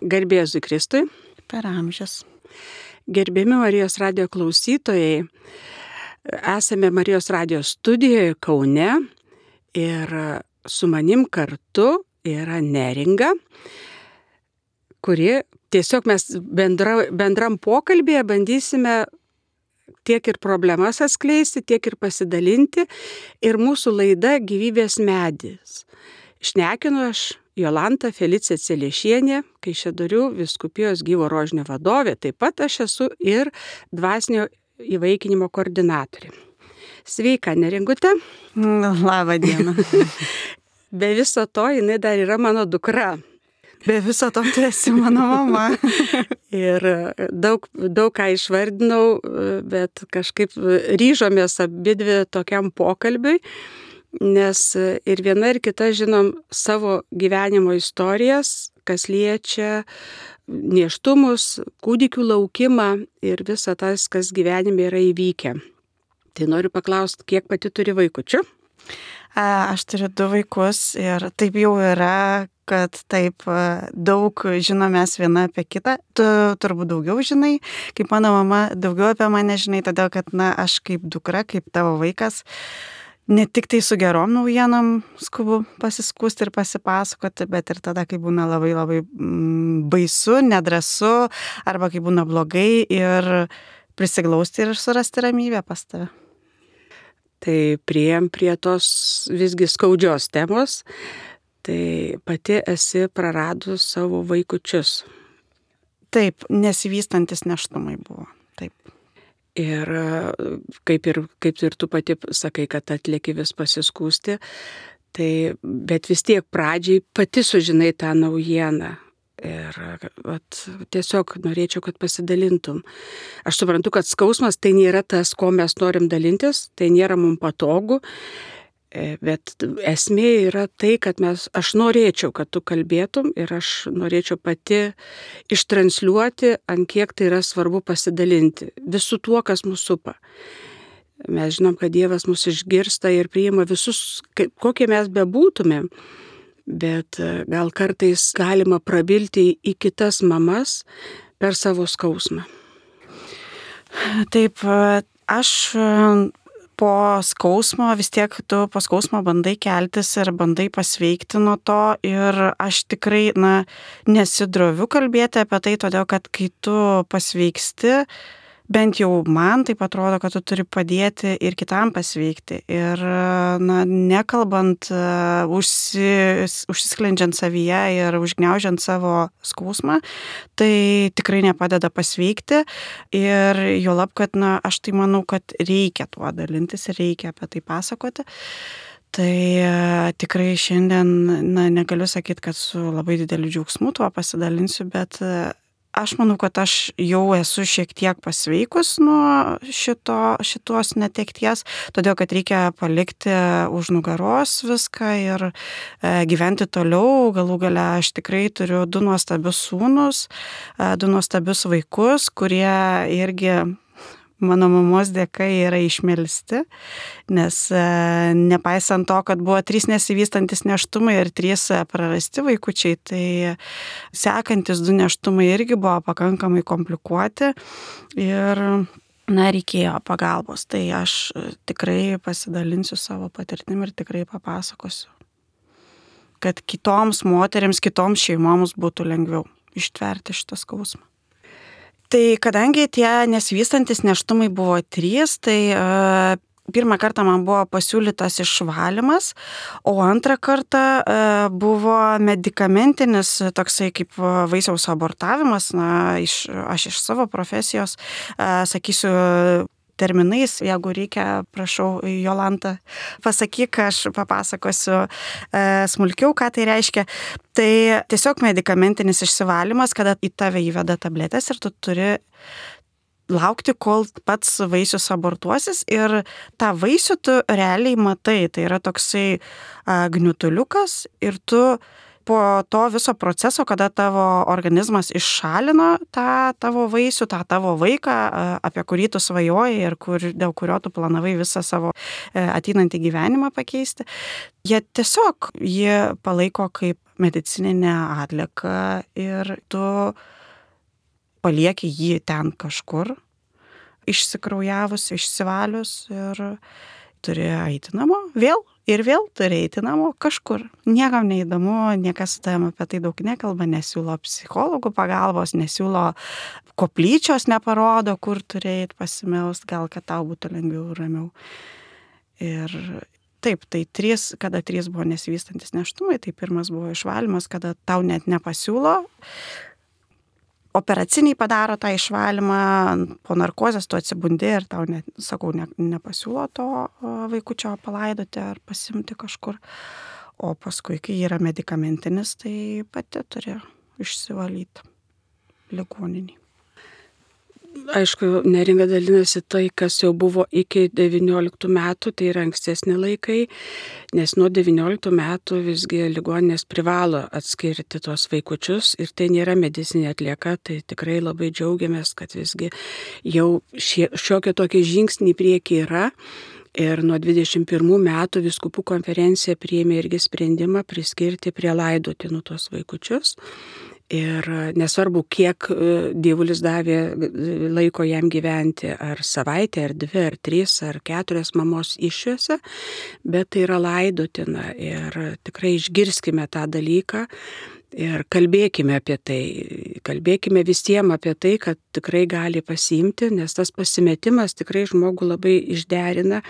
Garbė Jėzui Kristui. Per amžius. Gerbiami Marijos radijo klausytojai, esame Marijos radijo studijoje Kaune ir su manim kartu yra Neringa, kuri tiesiog mes bendram pokalbėje bandysime tiek ir problemas atskleisti, tiek ir pasidalinti. Ir mūsų laida Gyvybės medis. Šnekinu aš Jolanta Felicija Celiešienė, Kaišiadorių vyskupijos Gyvo rožinio vadovė. Taip pat aš esu ir dvasinio įvaikinimo koordinatorė. Sveika, Neringute. Labą dieną. Be viso to, jinai dar yra mano dukra. Be viso to tu esi mano mama. Ir daug ką išvardinau, bet kažkaip ryžomės abidvi tokiam pokalbiui, nes ir viena ir kita žinom savo gyvenimo istorijas, kas liečia nėštumus, kūdikių laukimą ir visą tas, kas gyvenime yra įvykę. Tai noriu paklausti, kiek pati turi vaikučių? Aš turiu 2 vaikus ir taip jau yra, kad taip daug žinomės viena apie kitą. Tu turbūt daugiau žinai, kaip mano mama, daugiau apie mane žinai, todėl kad aš kaip dukra, kaip tavo vaikas, ne tik tai su gerom naujienom skubu pasiskūsti ir pasipasakoti, bet ir tada, kai būna labai labai baisu, nedrąsu, arba kai būna blogai ir prisiglausti ir surasti ramybę pas tave. Tai priėjom prie tos visgi skaudžios temos, tai pati esi praradus savo vaikučius. Taip, nesivystantis nėštumai buvo, taip. Ir kaip ir tu pati sakai, kad atlieki vis pasiskūsti, tai, bet vis tiek pradžiai pati sužinai tą naujieną. Ir tiesiog norėčiau, kad pasidalintum. Aš suprantu, kad skausmas tai nėra tas, ko mes norim dalintis, tai nėra mums patogu, bet esmė yra tai, kad aš norėčiau, kad tu kalbėtum ir aš norėčiau pati ištransliuoti, ant kiek tai yra svarbu pasidalinti visų tuo, kas mūsų supa. Mes žinom, kad Dievas mus išgirsta ir priima visus, kokie mes bebūtumėm. Bet gal kartais galima prabilti į kitas mamas per savo skausmą. Taip, aš po skausmo, vis tiek tu po skausmo bandai keltis ir bandai pasveikti nuo to ir aš tikrai nesidroviu kalbėti apie tai, todėl kad kai tu pasveiksti, bent jau man taip atrodo, kad tu turi padėti ir kitam pasveikti. Ir nekalbant, užsisklendžiant savyje ir užgniaužiant savo skausmą, tai tikrai nepadeda pasveikti. Ir juolab, kad aš tai manau, kad reikia tuo dalintis ir reikia apie tai pasakoti. Tai tikrai šiandien negaliu sakyti, kad su labai dideliu džiaugsmu tuo pasidalinsiu, bet aš manau, kad aš jau esu šiek tiek pasveikus nuo šitos netekties, todėl kad reikia palikti už nugaros viską ir gyventi toliau. Galų gale aš tikrai turiu 2 nuostabius sūnus, 2 nuostabius vaikus, kurie irgi mano mamos dėka yra išmelsti, nes nepaisant to, kad buvo 3 nesivystantis nėštumai ir 3 prarasti vaikučiai, tai sekantis 2 nėštumai irgi buvo pakankamai komplikuoti ir reikėjo pagalbos. Tai aš tikrai pasidalinsiu savo patirtim ir tikrai papasakosiu, kad kitoms moterims, kitoms šeimoms būtų lengviau ištverti šitą skausmą. Tai kadangi tie nesivystantis nėštumai buvo 3, tai pirmą kartą man buvo pasiūlytas išvalymas, o antrą kartą buvo medikamentinis toksai kaip vaisiaus abortavimas. Aš iš savo profesijos sakysiu terminais, jeigu reikia, prašau, Jolanta, pasakyk, aš papasakosiu smulkiau, ką tai reiškia. Tai tiesiog medikamentinis išsivalymas, kada į tave įveda tabletės ir tu turi laukti, kol pats vaisius abortuosis ir tą vaisių tu realiai matai. Tai yra toksai gniutuliukas ir tu po to viso proceso, kada tavo organizmas iššalino tą tavo vaisių, tą tavo vaiką, apie kurį tu svajoji ir dėl kurio tu planavai visą savo ateinantį gyvenimą pakeisti, jie tiesiog palaiko kaip medicininę atlieką ir tu palieki jį ten kažkur, išsikraujavus, išsivalius ir turi eiti namo vėl ir vėl turi eiti namo kažkur. Niekam neįdomu, niekas su tavim apie tai daug nekalba, nesiūlo psichologų pagalbos, nesiūlo koplyčios, neparodo, kur turi eiti pasimelst, gal kad tau būtų lengviau ir ramiau. Ir taip, tai kada 3 buvo nesivystantis nėštumai, tai pirmas buvo išvalymas, kada tau net nepasiūlo. Operaciniai padaro tą išvalymą, po narkozės tu atsibundi ir tau, nepasiūlo to vaikučio palaidoti ar pasimti kažkur. O paskui, kai yra medikamentinis, tai pati turi išsivalyti ligoninį. Aišku, Neringa dalinasi tai, kas jau buvo iki 19 metų, tai yra ankstesni laikai, nes nuo 19 metų visgi ligoninės privalo atskirti tuos vaikučius ir tai nėra medicinė atlieka, tai tikrai labai džiaugiamės, kad visgi jau šiokie tokie žingsniai prieki yra. Ir nuo 21 metų vyskupų konferencija priėmė irgi sprendimą priskirti prie laidotinų tuos vaikučius. Ir nesvarbu, kiek dievulis davė laiko jam gyventi, ar savaitę, ar 2, ar 3, ar 4 mamos iššiose, bet tai yra laidotina ir tikrai išgirskime tą dalyką ir kalbėkime apie tai. Kalbėkime visiems apie tai, kad tikrai gali pasiimti, nes tas pasimetimas tikrai žmogų labai išderina.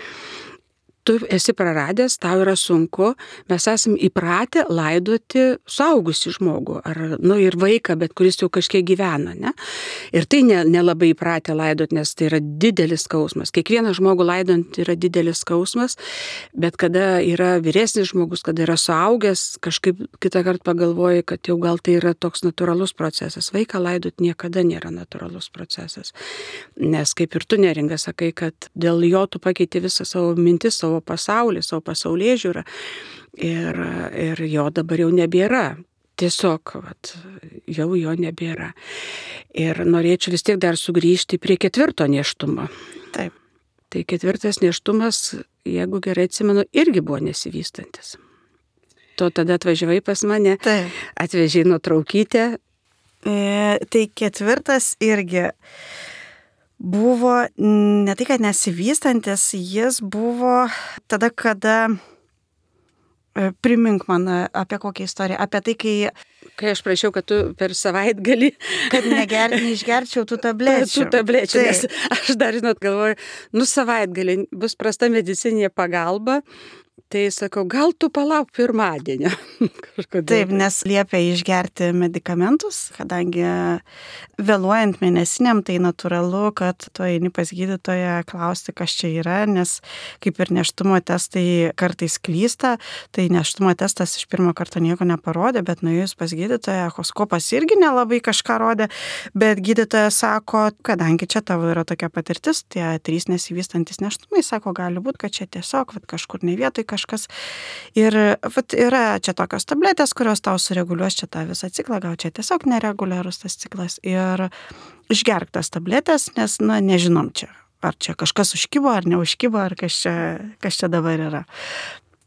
Tu esi praradęs, tau yra sunku, mes esame įpratę laidoti suaugusį žmogų, ir vaiką, bet kuris jau kažkiek gyvena, ne? Ir tai nelabai įpratę laidoti, nes tai yra didelis skausmas. Kiekvieną žmogų laidant yra didelis skausmas, bet kada yra vyresnis žmogus, kada yra suaugęs, kažkaip kitą kartą pagalvoji, kad jau gal tai yra toks natūralus procesas. Vaiką laidoti niekada nėra natūralus procesas. Nes kaip ir tu, Neringa, sakai, kad dėl jo tu pakeiti visą savo mintis, savo pasaulį, savo pasaulėžiūrą ir jo dabar jau nebėra. Tiesiog, jau jo nebėra. Ir norėčiau vis tiek dar sugrįžti prie 4 nėštumo. Taip. Tai 4 nėštumas, jeigu gerai atsimenu, irgi buvo nesivystantis. Tu tada atvažiavai pas mane, Taip. Atvežiai nuotraukytę. Tai 4 irgi buvo ne tai, kad nesivystantis, jis buvo tada, kada, primink man apie kokią istoriją, apie tai, kai aš prašiau, kad tu per savaitgalį, kad neišgerčiau tų tablečių. Nes aš dar, galvoju, savaitgalį bus prasta medicininė pagalba. Tai sakau, gal tu palauk pirmadienio. Taip, nes liepia išgerti medikamentus, kadangi vėluojant mėnesiniam, tai natūralu, kad tu eini pas gydytoją klausti, kas čia yra, nes kaip ir nėštumo testai kartais klysta, tai nėštumo testas iš pirmo karto nieko neparodė, bet nuėjus pas gydytoją, echoskopas irgi nelabai kažką rodė, bet gydytojas sako, kadangi čia tavo yra tokia patirtis, tie 3 nesivystantis nėštumai, sako, gali būti, kad čia tiesiog kažkur ne vietoj kažkas. Ir yra čia tokios tabletės, kurios tau sureguliuos čia tą visą ciklą, gal čia tiesiog nereguliarus tas ciklas. Ir išgerk tas tabletės, nes, nežinom čia, ar čia kažkas užkibo, ar neužkibo, ar kas čia dabar yra.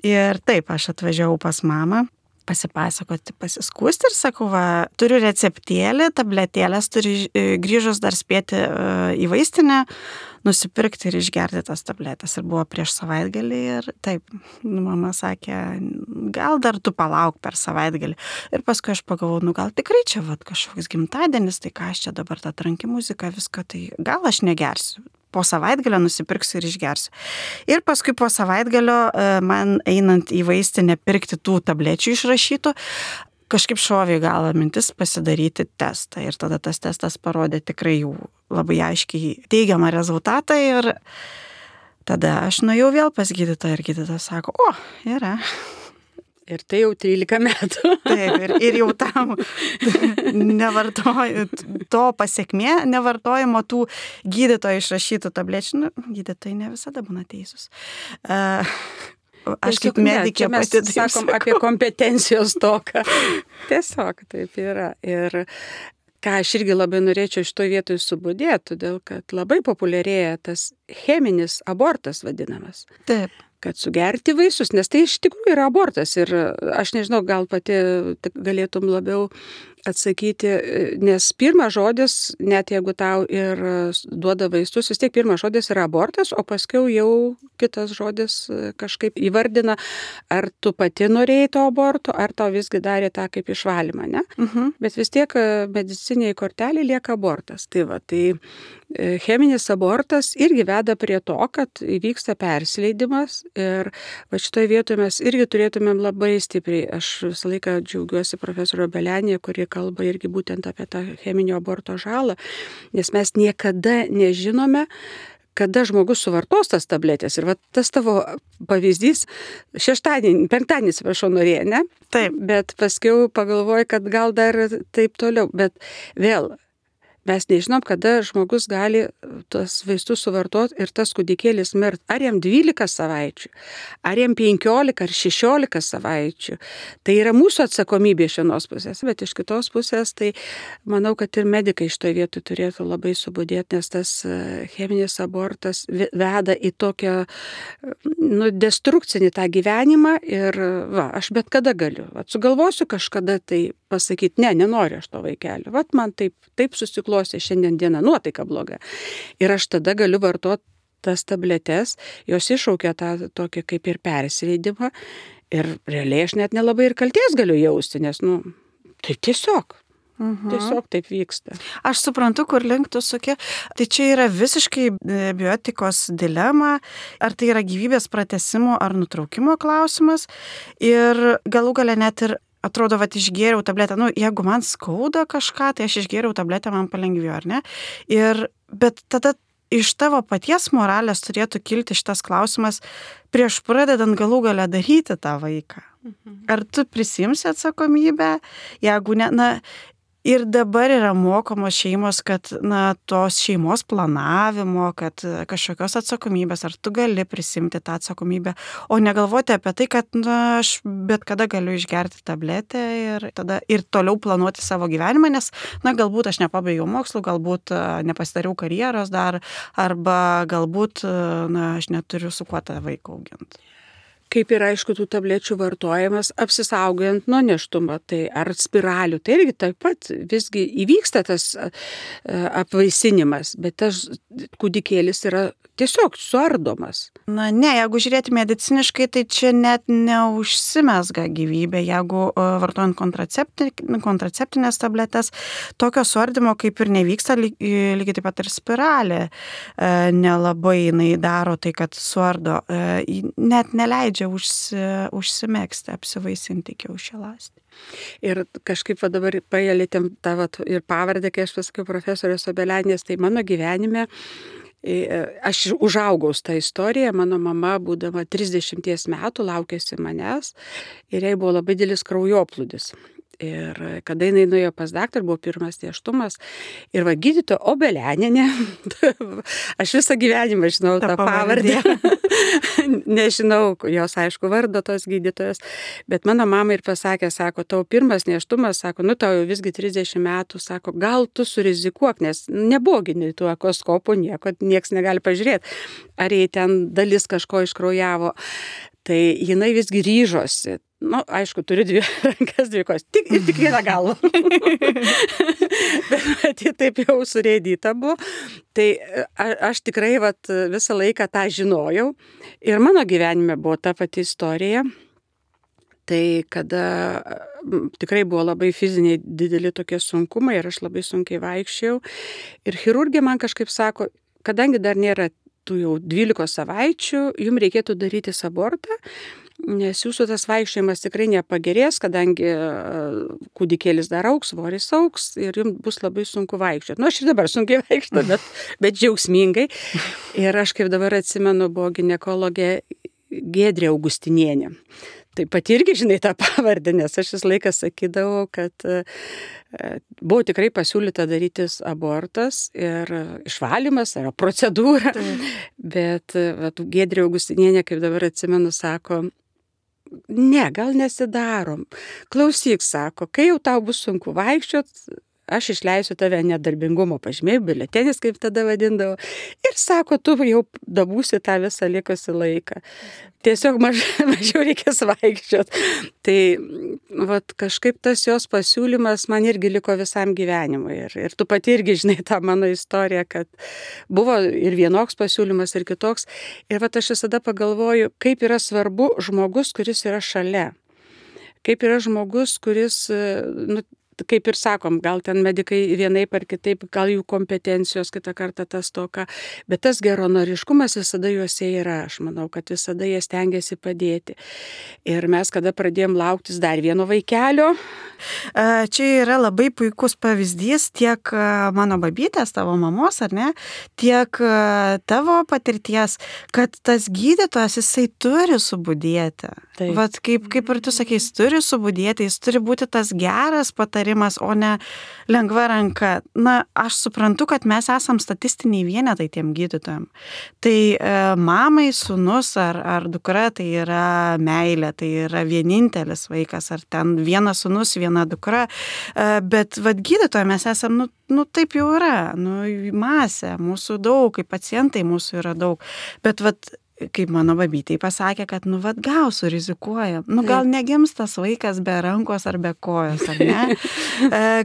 Ir taip, aš atvažiavau pas mamą, pasipasakoti, pasiskūsti ir sakau, turiu receptėlį, tabletėlės, turi grįžus dar spėti į vaistinę, nusipirkti ir išgerti tas tabletės. Ir buvo prieš savaitgalį ir taip, mama sakė, gal dar tu palauk per savaitgalį. Ir paskui aš pagalvojau, gal tikrai čia kažkoks gimtadienis, tai ką aš čia dabar tą tranki muziką, viską, tai gal aš negersiu. Po savaitgalio nusipirksiu ir išgersiu. Ir paskui po savaitgalio man einant į vaistinę pirkti tų tablečių išrašytų, kažkaip šovė galą mintis pasidaryti testą. Ir tada tas testas parodė tikrai jau labai aiškiai teigiamą rezultatą. Ir tada aš nuėjau vėl pas gydytoją ir gydytojas sako, yra. Ir tai jau 13 metų. Taip, ir jau tam to pasiekmė nevartojimo tų gydytojų išrašytų tablečių. Gydytojai ne visada būna teisūs. Aš kaip medikė pati sakom apie kompetencijos toką. Tiesiog taip yra. Ir ką aš irgi labai norėčiau šitoje vietoje subudėti, todėl kad labai populiarėja tas cheminis abortas vadinamas. Taip. kad sugerti vaisius, nes tai iš tikrųjų yra abortas ir aš nežinau, gal pati galėtum labiau atsakyti, nes pirmas žodis, net jeigu tau ir duoda vaistus, vis tiek pirmas žodis yra abortas, o paskui jau kitas žodis kažkaip įvardina, ar tu pati norėjai to aborto, ar tau visgi darė tą kaip išvalymą, ne? Bet vis tiek mediciniai kortelė lieka abortas. Tai va, tai cheminis abortas irgi veda prie to, kad įvyksta persileidimas ir va šitoje vietoje mes irgi turėtumėm labai stipriai, aš visą laiką džiaugiuosi profesorio Belenė, kuri kalba irgi būtent apie tą cheminio aborto žalą, nes mes niekada nežinome, kada žmogus suvartos tas tabletės. Ir va tas tavo pavyzdys, penktadienį, atsiprašau, norėjo, ne? Taip. Bet paskiau pagalvoju, kad gal dar taip toliau. Bet vėl, mes nežinom, kada žmogus gali tas vaistus suvartoti ir tas kūdikėlis mirt. Ar jam 12 savaičių, ar jam 15 ar 16 savaičių. Tai yra mūsų atsakomybė iš vienos pusės, bet iš kitos pusės, tai manau, kad ir medikai iš to vietų turėtų labai subudėti, nes tas cheminis abortas veda į tokią destrukcinį tą gyvenimą ir va, aš bet kada galiu. Sugalvosiu kažkada tai pasakyti, nenoriu aš to vaikelio. Vat man taip susiklostė šiandien diena, nuotaika bloga. Ir aš tada galiu vartoti tas tabletes, jos iššaukia tą tokį kaip ir persileidimą. Ir realiai aš net nelabai ir kalties galiu jausti, nes, tai tiesiog. Tiesiog taip vyksta. Aš suprantu, kur link tu suki. Tai čia yra visiškai bioetikos dilema, ar tai yra gyvybės pratęsimo ar nutraukimo klausimas. Ir galų gale net ir atrodo, vat išgėriau tabletę, jeigu man skauda kažką, tai aš išgėriau tabletę, man palengvėjo, ar ne? Bet tada iš tavo paties moralės turėtų kilti šitas klausimas prieš pradedant galų galę daryti tą vaiką. Ar tu prisimsi atsakomybę, jeigu ne, ir dabar yra mokomos šeimos, kad tos šeimos planavimo, kad kažkokios atsakomybės, ar tu gali prisimti tą atsakomybę, o negalvoti apie tai, kad aš bet kada galiu išgerti tabletę ir toliau planuoti savo gyvenimą, nes galbūt aš nepabaigiau mokslų, galbūt nepasidariau karjeros dar, arba galbūt aš neturiu su kuo tą vaiką auginti. Kaip ir aišku, tų tablečių vartojimas, apsisaugojant nuo nėštumo, tai ar spiralių, tai irgi taip pat visgi įvyksta tas apvaisinimas, bet tas kūdikėlis yra tiesiog suardomas. Ne, jeigu žiūrėti mediciniškai, tai čia net neužsimesga gyvybė, jeigu vartojant kontraceptinės tabletės, tokio suardymo kaip ir nevyksta, lygiai taip pat ir spiralė nelabai jinai daro tai, kad suardo, net neleidžia užsimegzti, apsivaisinti kiaušialąstį. Ir kažkaip dabar paėlėtėm tą ir pavardę, kai aš pasakiau profesorės Obelenės, tai mano gyvenime aš užaugau tą istoriją, mano mama, būdama 30 metų, laukėsi manęs ir jai buvo labai didelis kraujoplūdis. Ir kada jinai nuėjo pas daktarą, buvo pirmas nėštumas ir gydytoja Obelenienė, aš visą gyvenimą žinau tą pavardę, nežinau jos aišku vardo tos gydytojos, bet mano mama ir pasakė, sako, tau pirmas nėštumas, sako, tau jau visgi 30 metų, sako, gal tu surizikuok, nes nebuvo tų echoskopų, nieks negali pažiūrėti, ar jai ten dalis kažko iškraujavo. Tai jinai visgi ryžosi. Aišku, turi 2 rankas, 2 kojos. Tik vieną galvą. Bet ji taip jau surėdyta buvo. Tai aš tikrai visą laiką tą žinojau. Ir mano gyvenime buvo ta pati istorija. Tai kada tikrai buvo labai fiziniai dideli tokie sunkumai ir aš labai sunkiai vaikščiau. Ir chirurgė man kažkaip sako, kadangi dar nėra tų jau 12 savaičių, jums reikėtų daryti abortą, nes jūsų tas vaikščiojimas tikrai nepagerės, kadangi kūdikėlis dar augs, svoris augs ir jums bus labai sunku vaikščioti. Aš ir dabar sunkiai vaikščiu, bet džiaugsmingai. Ir aš kaip dabar atsimenu, buvo ginekologė Giedrė Augustinienė. Taip pat irgi žinai tą pavardę, nes aš visą laiką sakydavau, kad buvo tikrai pasiūlyta darytis abortas ir išvalymas, yra procedūra. Bet Giedrė Augustinienė, kaip dabar atsimenu, sako, ne, gal nesidarom. Klausyk, sako, kai jau tau bus sunku vaikščiot, aš išleisiu tave nedarbingumo pažymėjimą, biuletenis, kaip tada vadindavo. Ir sako, tu jau dabūsi tą visą likusį laiką. Tiesiog mažiau reikės vaikščioti. Tai vat, kažkaip tas jos pasiūlymas man irgi liko visam gyvenimui. Ir tu pati irgi žinai tą mano istoriją, kad buvo ir vienoks pasiūlymas, ir kitoks. Ir vat, aš visada pagalvoju, kaip yra svarbu žmogus, kuris yra šalia. Kaip yra žmogus, kuris, kaip ir sakom, gal ten medikai vienaip ar kitaip, gal jų kompetencijos kitą kartą tas toka, bet tas geranoriškumas visada juose yra. Aš manau, kad visada jie stengiasi padėti. Ir mes, kada pradėjom lauktis dar vieno vaikelio. Čia yra labai puikus pavyzdys tiek mano babytės, tavo mamos, ar ne, tiek tavo patirties, kad tas gydytojas, jisai turi subudėti. Vat kaip ir tu sakei, jis turi subudėti, jis turi būti tas geras patarimas, o ne lengva ranka. Na, aš suprantu, kad mes esam statistiniai vienetai tiem gydytojam. Tai mamai sūnus ar dukra, tai yra meilė, tai yra vienintelis vaikas, ar ten vienas sūnus, viena dukra, bet vat gydytojai mes esam, taip jau yra, masė, mūsų daug, kaip pacientai mūsų yra daug, bet vat kaip mano babytei pasakė, kad gal surizikuoja, gal negims tas vaikas be rankos ar be kojos, ar ne?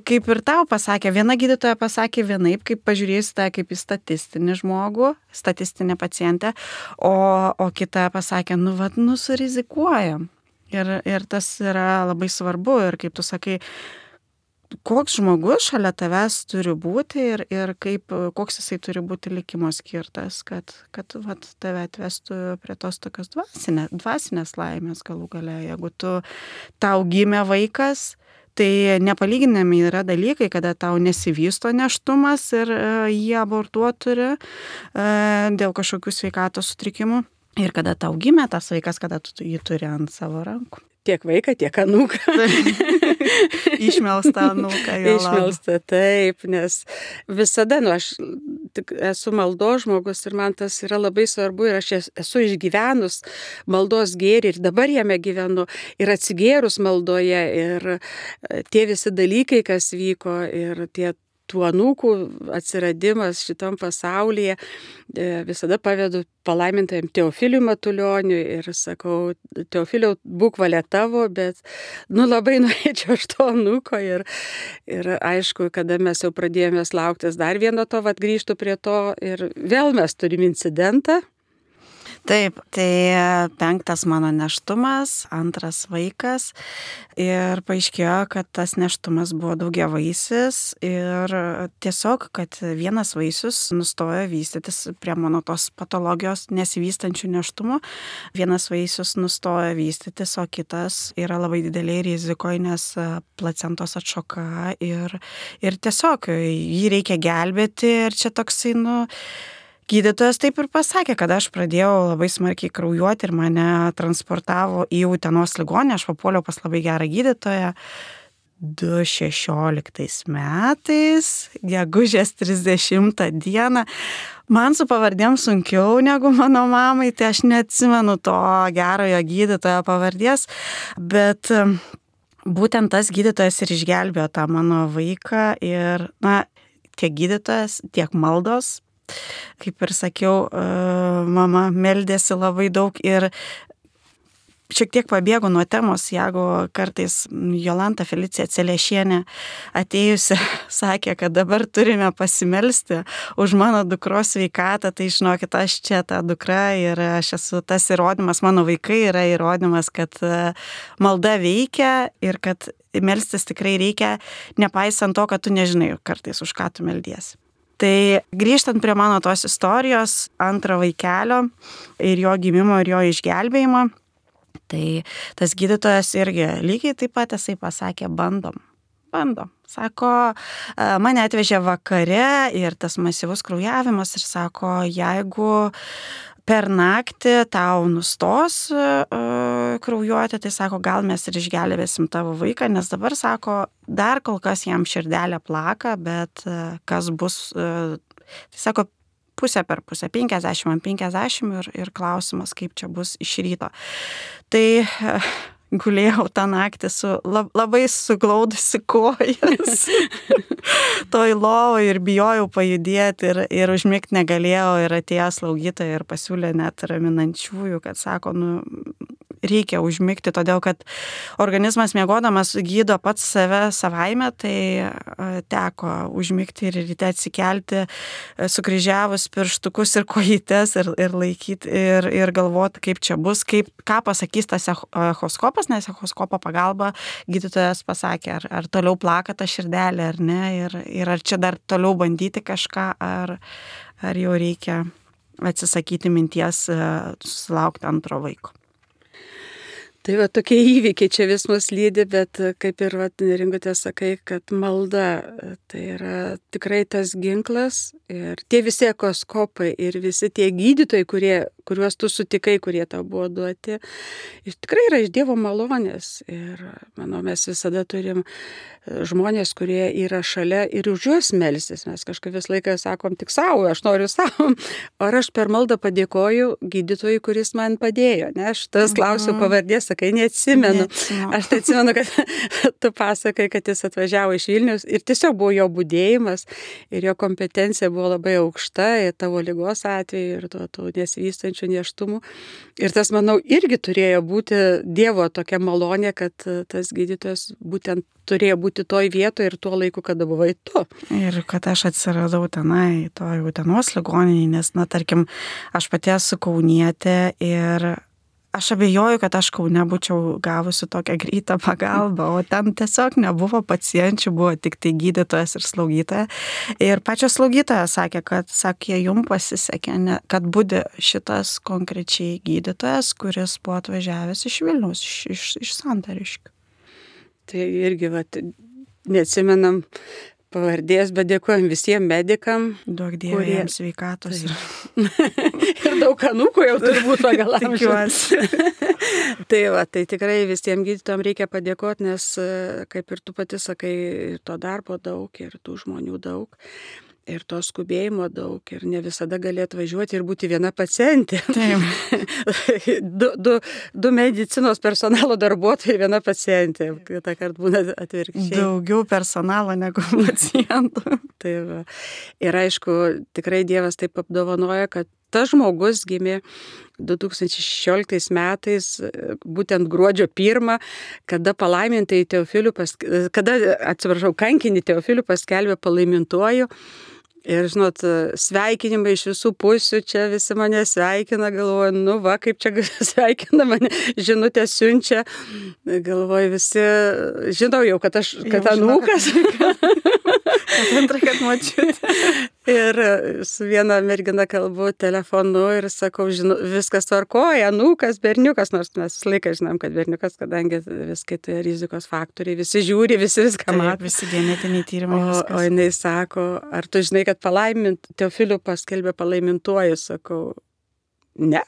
Kaip ir tau pasakė, viena gydytoja pasakė vienaip, kaip pažiūrėsi tą kaip į statistinį žmogų, statistinę pacientę, o kita pasakė, surizikuoja. Ir tas yra labai svarbu ir kaip tu sakai, koks žmogus šalia tavęs turi būti ir koks jisai turi būti likimo skirtas, kad tave atvestų prie tos tokios dvasinės laimės galų gale. Jeigu tau gimė vaikas, tai nepalyginami yra dalykai, kada tau nesivysto nėštumas ir jį abortuoti turi dėl kažkokių sveikatos sutrikimų. Ir kada tau gimė tas vaikas, kada tu jį turi ant savo rankų. Tiek vaiką, tiek anūką. Išmelsta anūką. Išmelsta, taip, nes visada, aš esu maldos žmogus ir man tas yra labai svarbu ir aš esu išgyvenus maldos gėrį ir dabar jame gyvenu ir atsigėrus maldoje ir tie visi dalykai, kas vyko ir tie tų anūkų atsiradimas šitam pasaulyje, visada pavedu palaimintajam Teofiliui Matulioniui ir sakau, Teofiliau, būk valia tavo, bet labai norėčiau aš to anūko ir aišku, kada mes jau pradėjome lauktis dar vieno to, grįžtu prie to ir vėl mes turim incidentą. Taip, tai 5 mano nėštumas, 2 vaikas ir paaiškėjo, kad tas nėštumas buvo daugiavaisis ir tiesiog, kad vienas vaisius nustojo vystytis prie mano tos patologijos nesivystančių nėštumų, vienas vaisius nustojo vystytis, o kitas yra labai dideliai rizikoje, nes placentos atšoka ir tiesiog jį reikia gelbėti ir čia toksai, gydytojas taip ir pasakė, kad aš pradėjau labai smarkiai kraujuoti ir mane transportavo į Utenos ligoninę, aš papuoliau pas labai gerą gydytoją. 2016 metais, gegužės 30 dieną, man su pavardėm sunkiau negu mano mamai, tai aš neatsimenu to gerojo gydytojo pavardės, bet būtent tas gydytojas ir išgelbėjo tą mano vaiką ir, tiek gydytojas, tiek maldos. Kaip ir sakiau, mama meldėsi labai daug ir šiek tiek pabėgo nuo temos, jeigu kartais Jolanta Felicija Celiešienė atėjusi sakė, kad dabar turime pasimelsti už mano dukros sveikatą, tai žinokit, aš čia ta dukra ir aš esu tas įrodymas, mano vaikai yra įrodymas, kad malda veikia ir kad melstis tikrai reikia, nepaisant to, kad tu nežinai kartais, už ką tu meldiesi. Tai grįžtant prie mano tos istorijos, 2 vaikelio ir jo gimimo ir jo išgelbėjimo, tai tas gydytojas irgi lygiai taip pat jisai pasakė, bandom. Sako, mane atvežė vakare ir tas masyvus kraujavimas ir sako, jeigu per naktį tau nustos kraujuoti, tai sako, gal mes ir išgelbėsim tavo vaiką, nes dabar sako, dar kol kas jam širdelė plaka, bet kas bus, tai sako, pusę per pusę, 50 ant 50 ir klausimas, kaip čia bus iš ryto. Tai gulėjau tą naktį su labai suglaudusi kojas toj lovoj ir bijojau pajudėti ir užmigti negalėjau ir atėjo slaugytoja ir pasiūlė net raminančiųjų, kad sako, reikia užmigti, todėl kad organizmas miegodamas gydo pats save savaime, tai teko užmigti ir ryte atsikelti, sukryžiavus pirštukus ir kojytes ir laikyti ir galvoti, kaip čia bus, ką pasakys tas echoskopas, nes echoskopo pagalba gydytojas pasakė, ar toliau plaka ta širdelė ar ne, ir ar čia dar toliau bandyti kažką, ar jau reikia atsisakyti minties susilaukti antro vaiko. Tai va tokie įvykiai čia vis mus lydi, bet kaip ir Neringutė sakai, kad malda tai yra tikrai tas ginklas ir tie visi echoskopai ir visi tie gydytojai, kuriuos tu sutikai, kurie tau buvo duoti, tikrai yra iš Dievo malonės ir manau, mes visada turim žmonės, kurie yra šalia ir už juos melstis. Mes kažkaip vis laiką sakom tik savo, aš noriu savo, ar aš per maldą padėkoju gydytojui, kuris man padėjo, ne, aš tas klausiu pavardės, sakai, neatsimenu. Aš tai atsimenu, kad tu pasakai, kad jis atvažiavo iš Vilniaus ir tiesiog buvo jo budėjimas ir jo kompetencija buvo labai aukšta ir tavo ligos atveju ir tų nesvystančių nėštumų. Ir tas, manau, irgi turėjo būti Dievo tokia malonė, kad tas gydytojas būtent turėjo būti toj vietoje ir tuo laiku, kada buvai tu. Ir kad aš atsiradau tenai, toj Utenos ligoninėje, nes, tarkim, aš pati esu kaunietė ir aš abejoju, kad aš Kaune būčiau gavusi tokią greitą pagalbą, o ten tiesiog nebuvo pacienčių, buvo tik tai gydytojas ir slaugytoja. Ir pačios slaugytoja sakė, kad jums pasisekė, kad budi šitas konkrečiai gydytojas, kuris buvo atvažiavęs iš Vilniaus, iš Santariškių. Tai irgi, neatsimenam pavardės, bet dėkojom visiems medikam. Duok Dieve jiems sveikatos. Ir daug anūkų jau turbūt pagal amžių. Tai tikrai visiems gydytojams reikia padėkoti, nes kaip ir tu pati sakai, ir to darbo daug, ir tų žmonių daug. Ir to skubėjimo daug, ir ne visada gali atvažiuoti ir būti viena pacientė. du medicinos personalo darbuotojai, viena pacientė. Kitą kartą būna atvirkščiai. Daugiau personalo negu pacientų. Tai va. Ir aišku, tikrai Dievas taip apdovanoja, kad tas žmogus gimė 2016 metais, būtent gruodžio 1, kada kankinį Teofilių paskelbė palaimintuoju. Ir, žinot, sveikinimai iš visų pusių, čia visi mane sveikina, galvoju, kaip čia sveikina mane, žinutę siunčia, galvoju, visi, žinau jau, kad anūkas. Antrą, kad močiutė. Ir su viena mergina kalbu telefonu ir sakau, viskas tvarkoja, anūkas, berniukas, nors mes visą laiką žinom, kad berniukas, kadangi viskai tai rizikos faktoriai, visi žiūri, visi viską mato. Visi genetiniai tyrimai. O jinai sako, ar tu žinai, kad Teofilių paskelbė palaimintuoju, sakau, ne,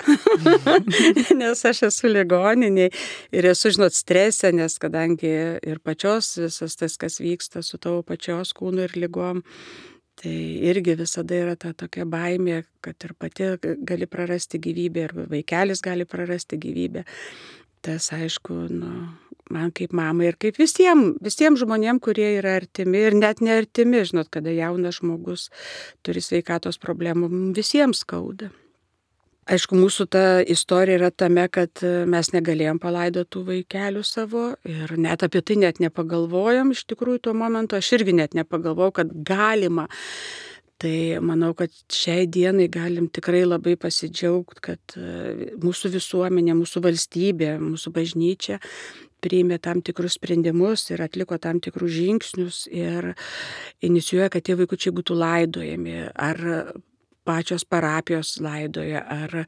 nes aš esu ligoninėje ir esu, strese, nes kadangi ir pačios visas tas, kas vyksta su tavo pačios kūnu ir ligom, tai irgi visada yra ta tokia baimė, kad ir pati gali prarasti gyvybę ir vaikelis gali prarasti gyvybę. Tas, aišku, man kaip mamai ir kaip visiems žmonėms, kurie yra artimi ir net neartimi, kada jaunas žmogus turi sveikatos problemų, visiems skauda. Aišku, mūsų ta istorija yra tame, kad mes negalėjom palaidoti tų vaikelių savo ir net apie tai net nepagalvojom, iš tikrųjų tuo momentu aš irgi net nepagalvojau, kad galima. Tai manau, kad šiai dienai galim tikrai labai pasidžiaugti, kad mūsų visuomenė, mūsų valstybė, mūsų bažnyčia priėmė tam tikrus sprendimus ir atliko tam tikrus žingsnius ir inicijuoja, kad tie vaikučiai būtų laidojami, ar pačios parapijos laidoja, ar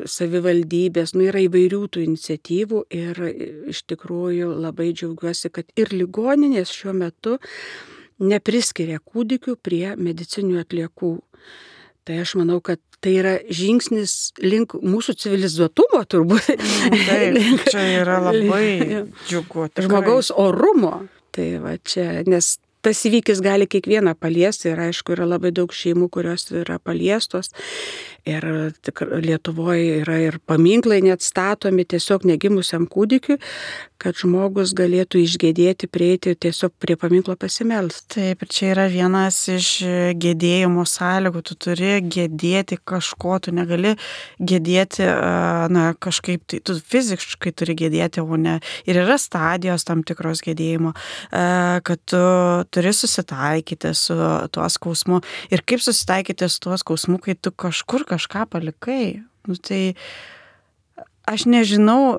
savivaldybės, yra įvairių tų iniciatyvų ir iš tikrųjų labai džiaugiuosi, kad ir ligoninės šiuo metu nepriskiria kūdikių prie medicininių atliekų. Tai aš manau, kad tai yra žingsnis link mūsų civilizuotumo turbūt. Taip, čia yra labai džiugu. Žmogaus orumo. Tai va čia, nes tas įvykis gali kiekvieną paliesti ir aišku yra labai daug šeimų, kurios yra paliestos. Ir Lietuvoje yra ir paminklai net statomi tiesiog negimusiam kūdikiui, kad žmogus galėtų išgėdėti, prieiti tiesiog prie paminklo pasimelsti. Taip, ir čia yra vienas iš gėdėjimo sąlygų. Tu turi gėdėti kažko, tu negali gėdėti kažkaip, tai tu fiziškai turi gėdėti, o ne. Ir yra stadijos tam tikros gėdėjimo, kad tu turi susitaikyti su tuo skausmu. Ir kaip susitaikyti su tuo skausmu, kai tu kažką palikai. Tai aš nežinau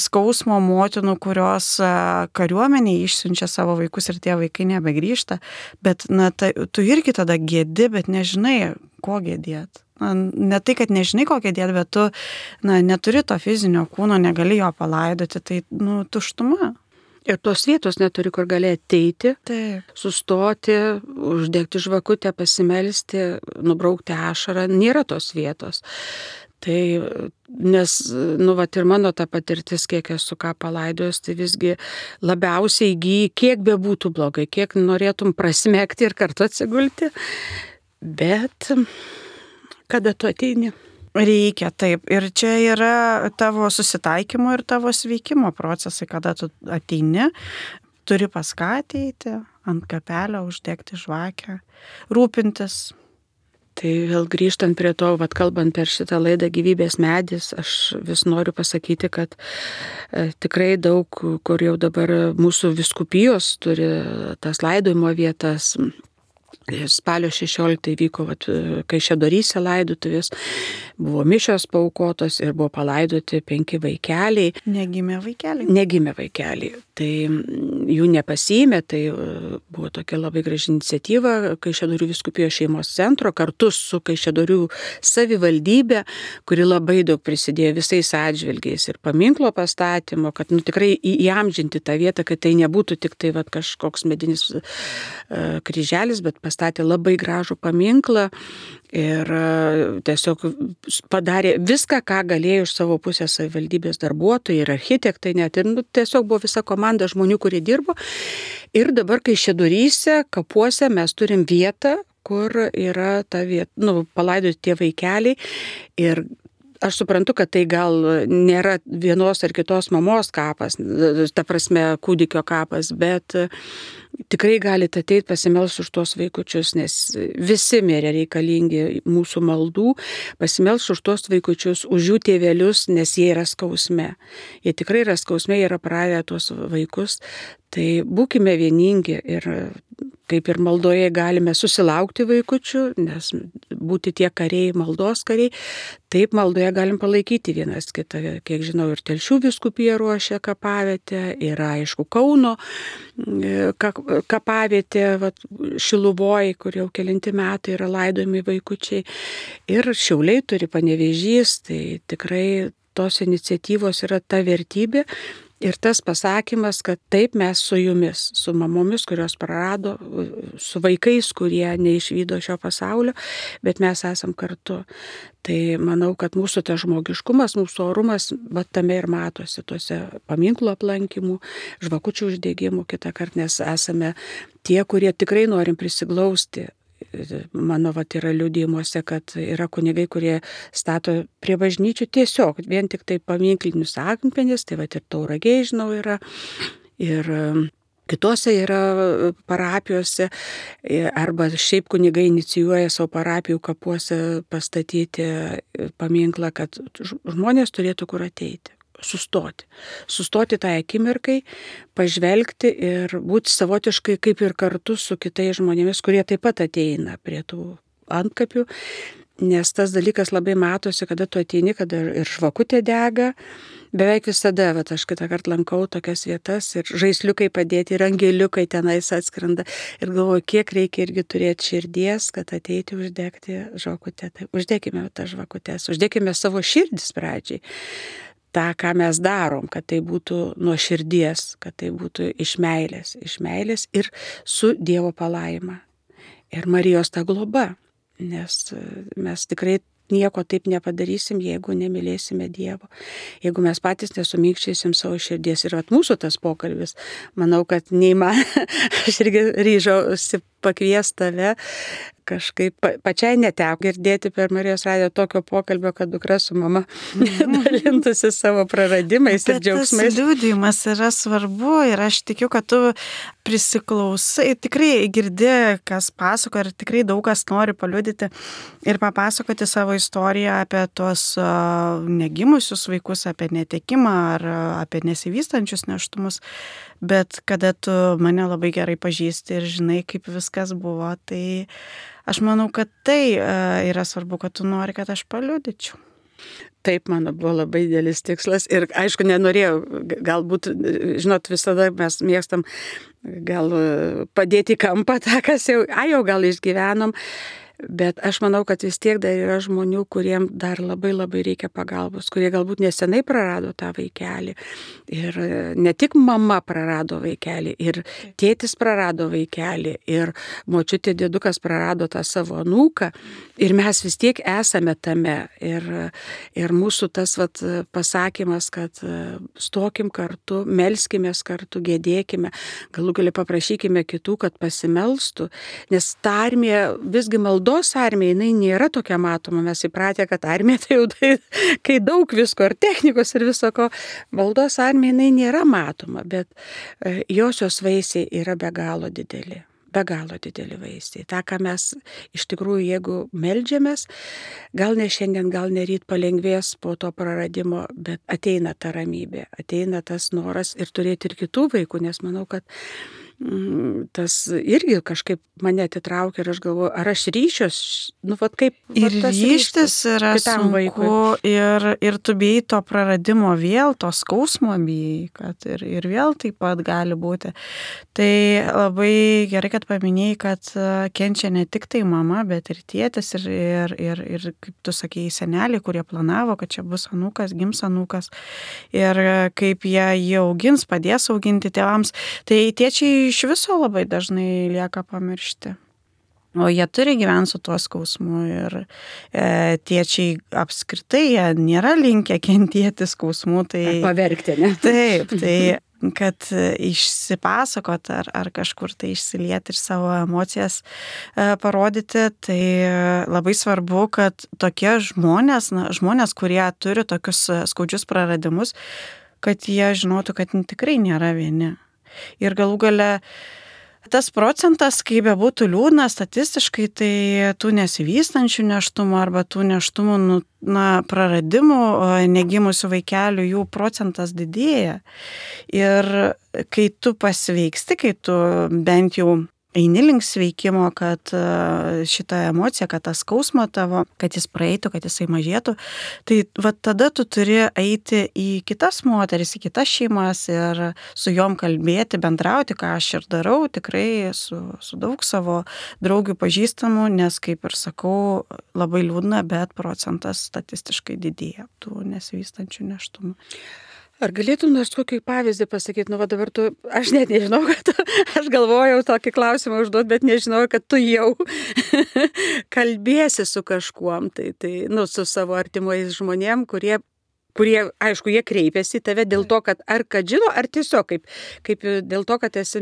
skausmo motinų, kurios kariuomeniai išsiunčia savo vaikus ir tie vaikai nebegrįžta, bet tu irgi tada gėdi, bet nežinai, ko gėdėti. Ne tai, kad nežinai, ko gėdėti, bet tu neturi to fizinio kūno, negali jo palaidoti, tai tuštuma. Ir tos vietos neturi, kur gali ateiti, sustoti, uždegti žvakutę, pasimelsti, nubraukti ašarą. Nėra tos vietos. Tai, nes, ir mano ta patirtis, kiek esu ką palaidojus, tai visgi labiausiai įgyji, kiek bebūtų blogai, kiek norėtum prasmegti ir kartu atsigulti. Bet kada tu ateini? Reikia, taip. Ir čia yra tavo susitaikymo ir tavo sveikimo procesai, kada tu ateini, turi pas ką ateiti, ant kapelio uždegti žvakę, rūpintis. Tai vėl grįžtant prie to, kalbant per šitą laidą Gyvybės medis, aš vis noriu pasakyti, kad tikrai daug, kur jau dabar mūsų vyskupijos turi tas laidojimo vietas. Spalio 16 vyko Kaišiadoryse laidotuvės, buvo mišios paaukotos ir buvo palaidoti 5 vaikeliai. Negimė vaikeliai. Tai jų nepasiėmė, tai buvo tokia labai graži iniciatyva Kaišiadorių vyskupijos šeimos centro kartu su Kaišiadorių savivaldybė, kuri labai daug prisidėjo visais atžvilgiais ir paminklo pastatymo, kad tikrai įamžinti tą vietą, kad tai nebūtų tik tai kažkoks medinis kryželis, bet pastatė labai gražų paminklą ir tiesiog padarė viską, ką galėjo iš savo pusės savivaldybės darbuotojai ir architektai net. Ir tiesiog buvo visa komanda žmonių, kurie dirbo. Ir dabar Kaišiadoryse, kapuose mes turim vietą, kur yra ta vieta, palaidoti tie vaikeliai. Ir aš suprantu, kad tai gal nėra vienos ar kitos mamos kapas, ta prasme kūdikio kapas, bet tikrai galite ateiti pasimelsti už tuos vaikučius, nes visi mirė reikalingi mūsų maldų, pasimelsti už tuos vaikučius, už jų tėvelius, nes jie yra skausme. Jie tikrai yra skausme, jie yra praradę tuos vaikus. Tai būkime vieningi ir kaip ir maldoje galime susilaukti vaikučių, nes būti tie kariai, maldos kariai, taip maldoje galim palaikyti vienas kitą. Kiek žinau, ir Telšių vyskupija ruošia kapavietę, yra aišku Kauno kapavietė, Šiluvoj, kur jau kelinti metai yra laidojami vaikučiai. Ir Šiauliai turi, Panevėžys, tai tikrai tos iniciatyvos yra ta vertybė. Ir tas pasakymas, kad taip mes su jumis, su mamomis, kurios prarado, su vaikais, kurie neišvydo šio pasaulio, bet mes esam kartu. Tai manau, kad mūsų tas žmogiškumas, mūsų orumas, tame ir matosi tuose paminklo aplankimų, žvakučių uždegimų kitą kartą, nes esame tie, kurie tikrai norim prisiglausti. Mano yra liudijimuose, kad yra kunigai, kurie stato prie bažnyčių tiesiog, vien tik tai paminklinius akmenis, tai ir Tauragėj, žinau, yra, ir kitose yra parapijose, arba šiaip kunigai inicijuoja savo parapijų kapuose pastatyti paminklą, kad žmonės turėtų kur ateiti. Sustoti tą akimirkai, pažvelgti ir būti savotiškai kaip ir kartu su kitais žmonėmis, kurie taip pat ateina prie tų antkapių, nes tas dalykas labai matosi, kada tu ateini, kada ir žvakutė dega. Beveik visada, aš kitą kartą lankau tokias vietas ir žaisliukai padėti, ir angeliukai tenais atskrenda. Ir galvoju, kiek reikia irgi turėti širdies, kad ateiti uždegti žvakutę. Tai uždėkime tą žvakutės, uždėkime savo širdis pradžiai. tą, ką mes darom, kad tai būtų nuo širdies, kad tai būtų iš meilės ir su Dievo palaima. Ir Marijos ta globa, nes mes tikrai nieko taip nepadarysim, jeigu nemylėsime Dievo. Jeigu mes patys nesuminkščysim savo širdies. Ir mūsų tas pokalbis, manau, kad aš irgi ryžausi pakvies tave. Kažkaip pačiai neteko girdėti per Marijos radiją tokio pokalbio, kad dukra su mama dalintųsi savo praradimais ir džiaugsmais. Tas liudijimas yra svarbu ir aš tikiu, kad tu prisiklausai, tikrai girdi, kas pasako ir tikrai daug kas nori paliudyti ir papasakoti savo istoriją apie tuos negimusius vaikus, apie netekimą ar apie nesivystančius nėštumus. Bet kada tu mane labai gerai pažįsti ir žinai, kaip viskas buvo, tai aš manau, kad tai yra svarbu, kad tu nori, kad aš paliudyčiau. Taip, mano buvo labai didelis tikslas ir aišku, nenorėjau, galbūt, žinot, visada mes mėgstam gal padėti į kampą tą, kas jau gal išgyvenom. Bet aš manau, kad vis tiek dar yra žmonių, kuriem dar labai labai reikia pagalbos, kurie galbūt nesenai prarado tą vaikelį. Ir ne tik mama prarado vaikelį, ir tėtis prarado vaikelį, ir močiutė dėdukas prarado tą savo anūką. Ir mes vis tiek esame tame. Ir mūsų tas pasakymas, kad stokim kartu, melskimės kartu, gėdėkime, galų gali paprašykime kitų, kad pasimelstų. Nes ta armija visgi maldos armija, jinai nėra tokia matoma. Mes įpratę, kad armija tai jau kai daug visko, ir technikos, ir viso ko. Maldos armija, jinai nėra matoma, bet josios vaisiai yra be galo dideli. Be galo dideli vaisiai. Ta, ką mes iš tikrųjų, jeigu meldžiamės, gal ne šiandien, gal ne ryt palengvės po to praradimo, bet ateina ta ramybė, ateina tas noras ir turėti ir kitų vaikų, nes manau, kad tas irgi kažkaip mane atitraukia ir aš galvoju, ar aš ryšios, kaip ir ryštis yra sunku ir tu bijai to praradimo vėl, to skausmo bijai, kad ir vėl taip pat gali būti. Tai labai gerai, kad paminėjai, kad kenčia ne tik tai mama, bet ir tėtis ir kaip tu sakėjai, seneliai, kurie planavo, kad čia bus anūkas, gims anūkas ir kaip jie augins, padės auginti tėvams. Tai tėčiai iš viso labai dažnai lieka pamiršti. O jie turi gyventi su tuo skausmu ir tėčiai apskritai jie nėra linkę kentėti skausmų. Tai paverkti, ne? Taip, tai kad išsipasakot ar kažkur tai išsilieti ir savo emocijas parodyti, tai labai svarbu, kad tokie žmonės, kurie turi tokius skaudžius praradimus, kad jie žinotų, kad tikrai nėra vieni. Ir galų gale tas procentas, kaip bebūtų liūdna, statistiškai tai tų nesivystančių nėštumų arba tų nėštumų praradimų negimusių vaikelių, jų procentas didėja. Ir kai tu pasveiksti, kai tu bent jau eini link sveikimo, kad šitą emociją, kad tą skausmą tavo, kad jis praeitų, kad jisai mažėtų, tai tada tu turi eiti į kitas moteris, į kitas šeimas ir su jom kalbėti, bendrauti, ką aš ir darau, tikrai su daug savo draugių pažįstamų, nes, kaip ir sakau, labai liūdna, bet procentas statistiškai didėja tų nesivystančių nėštumų. Ar galėtum nors kokį pavyzdį pasakyti, dabar aš net nežinau, kad aš galvojau tokį klausimą užduoti, bet nežinau, kad tu jau kalbėsi su kažkuom, su savo artimais žmonėm, kurie, aišku, jie kreipiasi į tave dėl to, kad žino, ar tiesiog kaip dėl to, kad esi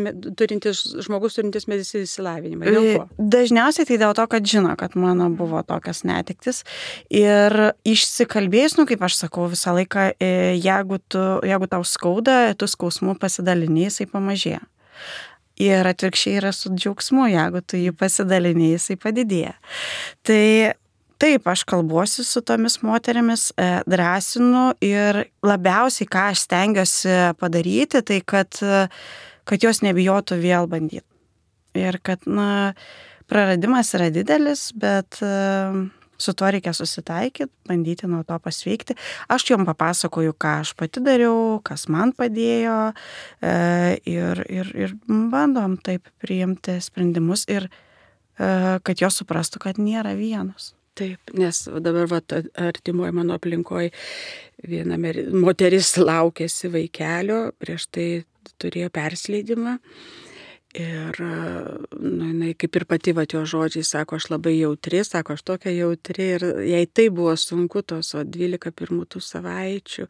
žmogus turintis medicininį išsilavinimą. Dėl ko? Dažniausiai tai dėl to, kad žino, kad mano buvo tokios netektis. Ir išsikalbėjus, kaip aš sakau, visą laiką, jeigu tau skauda, tu skausmu pasidalini, jisai pamažėja. Ir atvirkščiai yra su džiaugsmu, jeigu tu jį pasidalini, jisai padidėja. Tai taip, aš kalbuosi su tomis moterimis, drąsinu ir labiausiai, ką aš stengiuosi padaryti, tai kad jos nebijotų vėl bandyti. Ir kad, praradimas yra didelis, bet su tuo reikia susitaikyti, bandyti nuo to pasveikti. Aš jom papasakoju, ką aš pati dariau, kas man padėjo ir bandom taip priimti sprendimus ir kad jos suprastų, kad nėra vienos. Taip, nes dabar artimoje mano aplinkoje viena moteris laukėsi vaikelio, prieš tai turėjo persileidimą Ir jinai kaip ir pati jo žodžiai, sako, aš labai jautri, sako, aš tokia jautri ir jai tai buvo sunku tos 12 pirmų tų savaičių.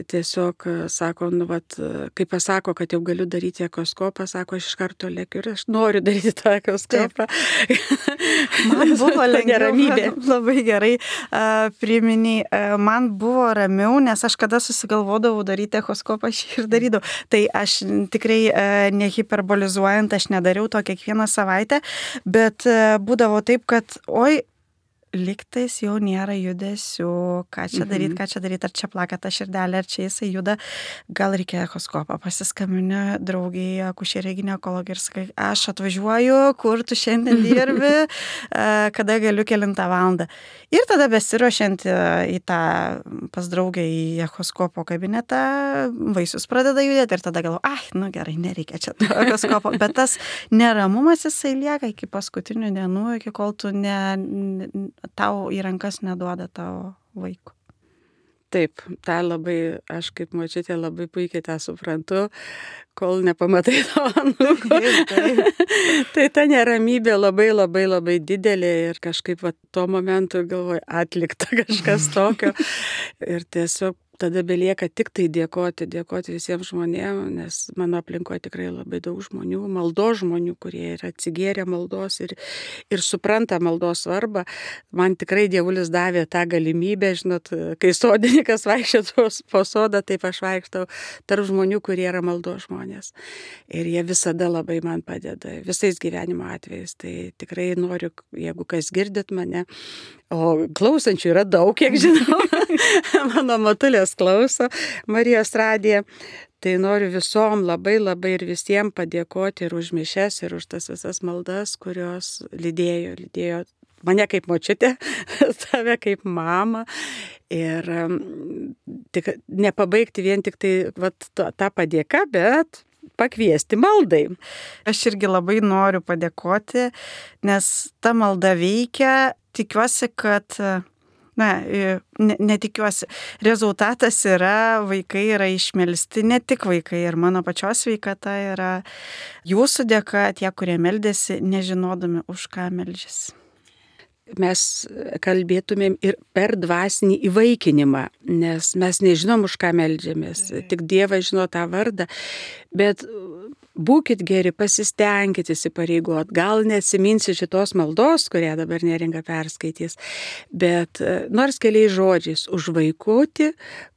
Tiesiog sako, kai pasako, kad jau galiu daryti echoskopą, sako, aš iš karto lėkiu ir aš noriu daryti tą echoskopą. Man buvo neramybė. Labai gerai priminiai. Man buvo ramiau, nes aš kada susigalvodavau daryti echoskopą, aš ir darydavau. Tai aš tikrai nehiperbolizuoju, aš nedariau to kiekvieną savaitę, bet būdavo taip, kad lygtais jau nėra judesių, ką čia daryti, ar čia plaka ta širdelė, ar čia jisai juda, gal reikia echoskopą, pasiskambinę draugiai, akušerė ginekologė ir sakai, aš atvažiuoju, kur tu šiandien dirbi, kada galiu kelintą valandą. Ir tada besiruošiant į tą pas draugę į echoskopo kabinetą, vaisius pradeda judėti ir tada galvoju, gerai, nereikia čia to echoskopo, bet tas neramumas jisai lieka iki paskutinių dienų, iki kol tu tau į rankas neduoda tavo vaiko. Taip, tą labai, aš kaip močiutė labai puikiai tą suprantu, kol nepamatai to anūko. Tai ta neramybė labai, labai, labai didelė ir kažkaip tuo momentu galvoju, atlikta kažkas tokio. Ir tiesiog tada belieka tik tai dėkoti visiems žmonėms, nes mano aplinkoje tikrai labai daug žmonių, maldos žmonių, kurie yra atsigėrę maldos ir supranta maldos svarbą. Man tikrai Dievulis davė tą galimybę, žinot, kai sodininkas vaikščia po sodą, taip aš vaikštau tarp žmonių, kurie yra maldos žmonės. Ir jie visada labai man padeda, visais gyvenimo atvejais. Tai tikrai noriu, jeigu kas girdit mane, o klausančių yra daug, kiek žinau, mano matulės klauso Marijos radiją, tai noriu visom labai, labai ir visiems padėkoti ir už mišias, ir už tas visas maldas, kurios lydėjo mane kaip močiutė, tave kaip mamą. Ir tik nepabaigti vien tik tai tą padėką, bet pakviesti maldai. Aš irgi labai noriu padėkoti, nes ta malda veikia. Tikiuosi, kad, netikiuosi, rezultatas yra, vaikai yra išmelsti, ne tik vaikai, ir mano pačios sveikata yra jūsų dėka, tie, kurie meldėsi, nežinodami, už ką meldžiasi. Mes kalbėtumėm ir per dvasinį įvaikinimą, nes mes nežinom, už ką meldžiamės, tik Dievas žino tą vardą, bet būkit geri, pasistengkit įsipareigot, gal neatsiminsi šitos maldos, kurią dabar Neringa perskaitys, bet nors keliais žodžiais už vaikutį,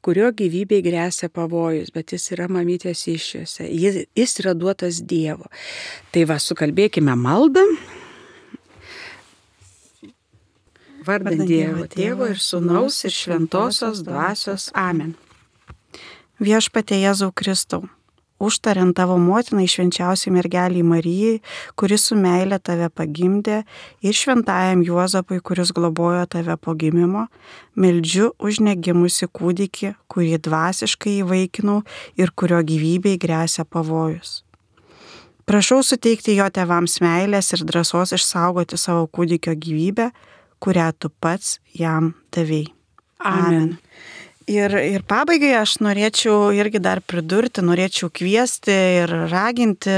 kurio gyvybei gresia pavojus, bet jis yra mamytės įsčiose, jis yra duotas Dievo. Tai sukalbėkime maldą. Vardant Dievo, Tėvo ir Sūnaus ir Šventosios Dvasios. Amen. Viešpatie Jėzau Kristau, užtariant tavo motinai švenčiausiai mergeliai Marijai, kuris su meile tave pagimdė, ir šventajam Juozapui, kuris globojo tave po gimimo, meldžiu už negimusi kūdikį, kurį dvasiškai įvaikinau ir kurio gyvybei gresia pavojus. Prašau suteikti jo tėvams meilės ir drąsos išsaugoti savo kūdikio gyvybę, kurią tu pats jam davei. Amen. Ir pabaigai aš norėčiau irgi dar pridurti, norėčiau kviesti ir raginti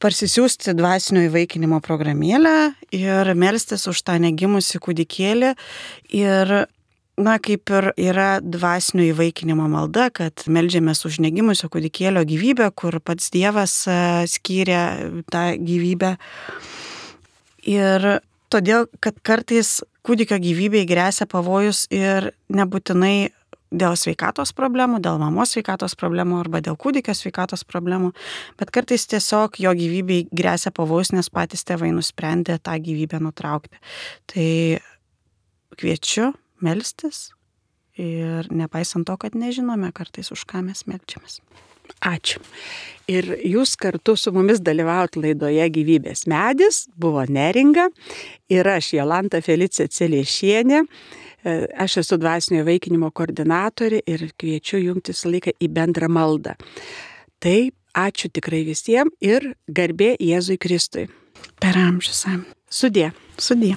parsisiųsti dvasinio įvaikinimo programėlę ir melstis už tą negimusį kūdikėlį. Ir kaip ir yra dvasinio įvaikinimo malda, kad meldžiamės už negimusio kūdikėlio gyvybę, kur pats Dievas skyrė tą gyvybę. Ir todėl, kad kartais kūdikio gyvybei gresia pavojus ir nebūtinai dėl sveikatos problemų, dėl mamos sveikatos problemų arba dėl kūdikio sveikatos problemų, bet kartais tiesiog jo gyvybei gresia pavojus, nes patys tėvai nusprendė tą gyvybę nutraukti. Tai kviečiu melstis ir nepaisant to, kad nežinome kartais, už ką mes meldžiamės. Ačiū. Ir jūs kartu su mumis dalyvaut laidoje Gyvybės medis, buvo Neringa ir aš Jolanta Felicija Celiešienė. Aš esu dvasinio įvaikinimo koordinatorė ir kviečiu jungtis laiką į bendrą maldą. Tai ačiū tikrai visiems ir garbė Jėzui Kristui. Per amžius. Sudie. Sudie.